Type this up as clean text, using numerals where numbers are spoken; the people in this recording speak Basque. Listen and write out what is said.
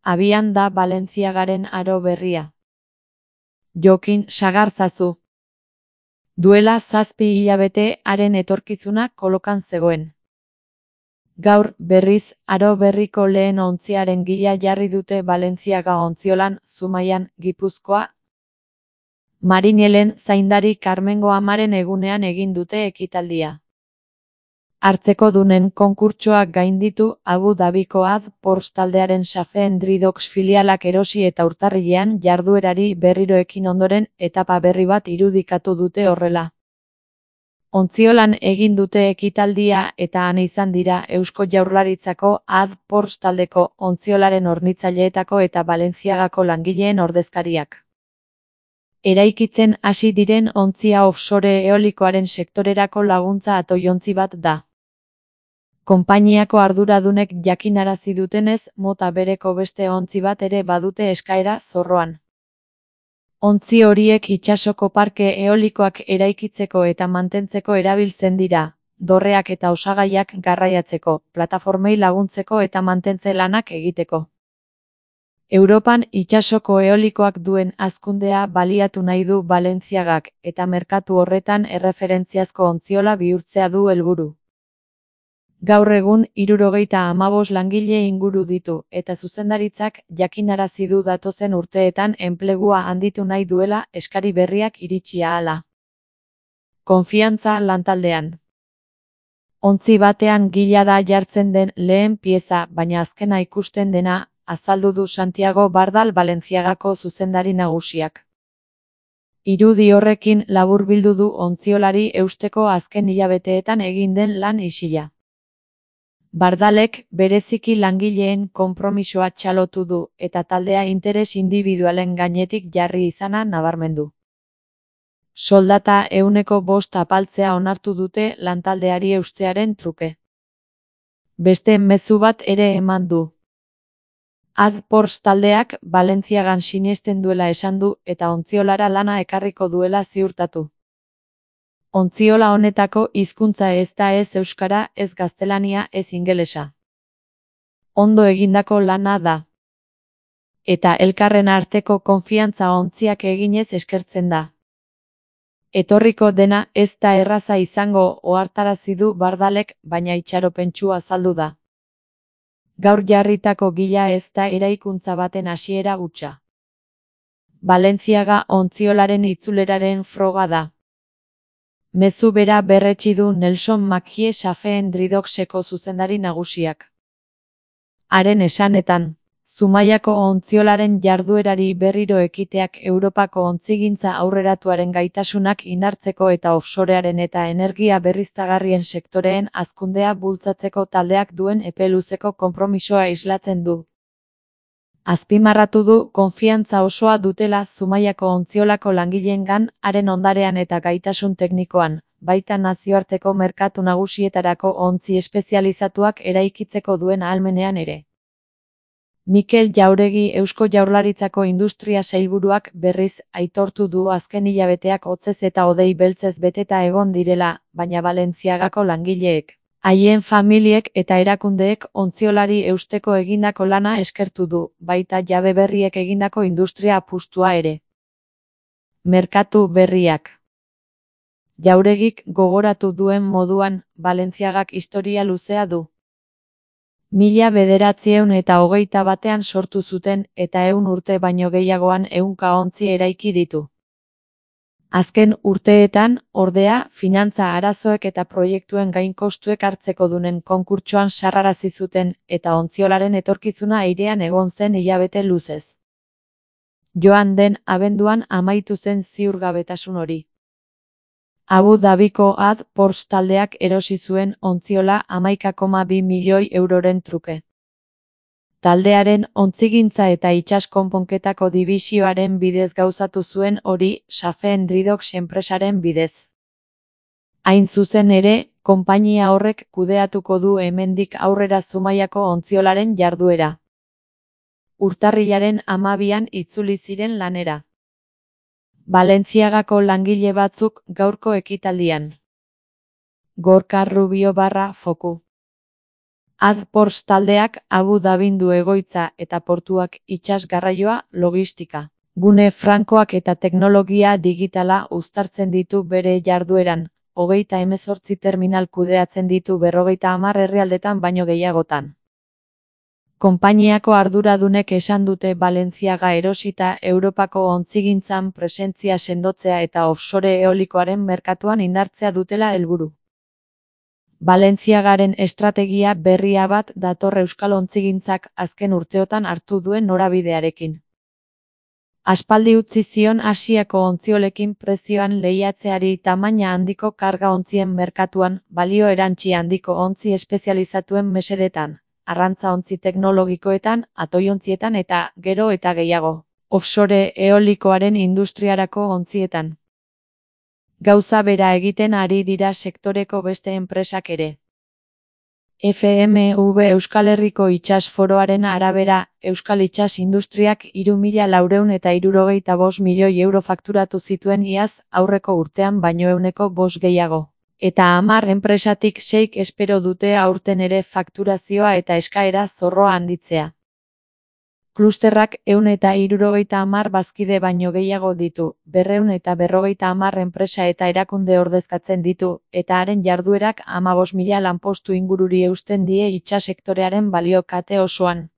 Abian da Balentziagaren aro berria. Jokin sagarzazu. Duela 7 hilabete haren etorkizuna kolokan zegoen. Gaur, berriz, aro berriko lehen ontziaren gila jarri dute Balentziaga ontziolan, Zumaian, Gipuzkoa. Marinelen zaindari Karmengo amaren egunean egin dute ekitaldia. Hartzekodunen konkurtsoak gainditu, Abu Dhabiko AdPorts taldearen Safeen Dridox filialak erosi eta urtarrilean jarduerari berriro ekin ondoren etapa berri bat irudikatu dute horrela. Ontziolan egin dute ekitaldia eta han izan dira Eusko Jaurlaritzako AdPorts taldeko ontziolaren hornitzaileetako eta Balentziagako langileen ordezkariak. Eraikitzen hasi diren ontzia offshore eolikoaren sektorerako laguntza atoiontzi bat da. Konpainiako arduradunek jakinarazi dutenez, mota bereko beste ontzi bat ere badute eskaera zorroan. Ontzi horiek itsasoko parke eolikoak eraikitzeko eta mantentzeko erabiltzen dira, dorreak eta osagaiak garraiatzeko, plataformei laguntzeko eta mantentze lanak egiteko. Europan itsasoko eolikoak duen hazkundea baliatu nahi du Balentziagak eta merkatu horretan erreferentziazko ontziola bihurtzea du helburu. Gaur egun 75 langile inguru ditu eta zuzendaritzak jakinarazi du datozen urteetan enplegua handitu nahi duela eskari berriak iritsi ahala. Konfiantza lantaldean. Ontzi batean gila da jartzen den lehen pieza, baina azkena ikusten dena, azaldu du Santiago Bardal Balentziagako zuzendari nagusiak. Irudi horrekin laburbildu du ontziolari eusteko azken hilabeteetan egin den lan isila. Bardalek bereziki langileen konpromisoa txalotu du eta taldea interes indibidualen gainetik jarri izana nabarmendu. Soldata 5% apaltzea onartu dute lantaldeari eustearen truke. Beste mezu bat ere eman du. AdPorts taldeak Balentziagan sinesten duela esan du eta ontziolara lana ekarriko duela ziurtatu. Ontziola honetako hizkuntza ez da ez euskara, ez gaztelania, ez ingelesa. Ondo egindako lana da. Eta elkarren arteko konfiantza ontziak eginez eskertzen da. Etorriko dena ez da erraza izango ohartarazi du Bardalek, baina itxaropentsua azaldu da. Gaur jarritako gila ez da eraikuntza baten hasiera hutsa. Balentziaga ontziolaren itzuleraren froga da. Mezu bera berretsi du Nelson Mackie Safeen Dridoxeko zuzendari nagusiak. Haren esanetan, Zumaiako ontziolaren jarduerari berriro ekiteak Europako ontzigintza aurreratuaren gaitasunak indartzeko eta offshorearen eta energia berriztagarrien sektoreen hazkundea bultzatzeko taldeak duen epe luzeko konpromisoa islatzen du. Azpimarratu du konfiantza osoa dutela Zumaiako ontziolako langileengan, haren ondarean eta gaitasun teknikoan, baita nazioarteko merkatu nagusietarako ontzi espezializatuak eraikitzeko duen ahalmenean ere. Mikel Jauregi Eusko Jaurlaritzako Industria Sailburuak berriz aitortu du azken hilabeteak hotzez eta hodei beltzez beteta egon direla, baina Balentziagako langileek, haien familiek eta erakundeek ontziolari eusteko egindako lana eskertu du, baita jabe berriek egindako industria apustua ere. Merkatu berriak. Jauregik gogoratu duen moduan, Balentziagak historia luzea du. 1921ean sortu zuten eta 100 urte baino gehiagoan 100 ontzi eraiki ditu. Azken urteetan, ordea, finantza arazoek eta proiektuen gainkostuek hartzekodunen konkurtsoan sarrarazi zuten eta ontziolaren etorkizuna airean egon zen hilabete luzez. Joan den abenduan amaitu zen ziurgabetasun hori. Abu Dhabiko AdPorts taldeak erosi zuen ontziola 11,2 milioi euroren truke. Taldearen ontzigintza eta itsas konponketako dibisioaren bidez gauzatu zuen hori Safeen Dridox enpresaren bidez. Hain zuzen ere, konpainia horrek kudeatuko du hemendik aurrera Zumaiako ontziolaren jarduera. Urtarrilaren 12an itzuli ziren lanera. Balentziagako langile batzuk gaurko ekitaldian. Gorka Rubio /Foku AdPorts taldeak Abu Dhabin du egoitza eta portuak itsas garraioa, logistika, gune frankoak eta teknologia digitala uztartzen ditu bere jardueran. 38 terminal kudeatzen ditu 50 herrialdetan baino gehiagotan. Konpainiako arduradunek esan dute Balenciaga erosita Europako ontzigintzan presentzia sendotzea eta offshore eolikoaren merkatuan indartzea dutela helburu. Balenciagaren estrategia berria bat dator euskal ontzigintzak azken urteotan hartu duen norabidearekin. Aspaldi utzi zion Asiako ontziolekin prezioan lehiatzeari tamaina handiko karga ontzien merkatuan, balio erantsi handiko ontzi espezializatuen mesedetan, arrantza ontzi teknologikoetan, atoiontzietan eta, gero eta gehiago, offshore eolikoaren industriarako ontzietan. Gauza bera egiten ari dira sektoreko beste enpresak ere. FMV Euskal Herriko Itsas Foroaren arabera, Euskal Itsas Industriak 3.465 milioi euro fakturatu zituen iaz, aurreko urtean baino 5% gehiago. Eta 10 enpresatik 6 espero dute aurten ere fakturazioa eta eskaera zorroa handitzea. Klusterrak 170 bazkide baino gehiago ditu, 250 enpresa eta erakunde ordezkatzen ditu, eta haren jarduerak 15.000 lanpostu ingururi eusten die itsas sektorearen balio kate osoan.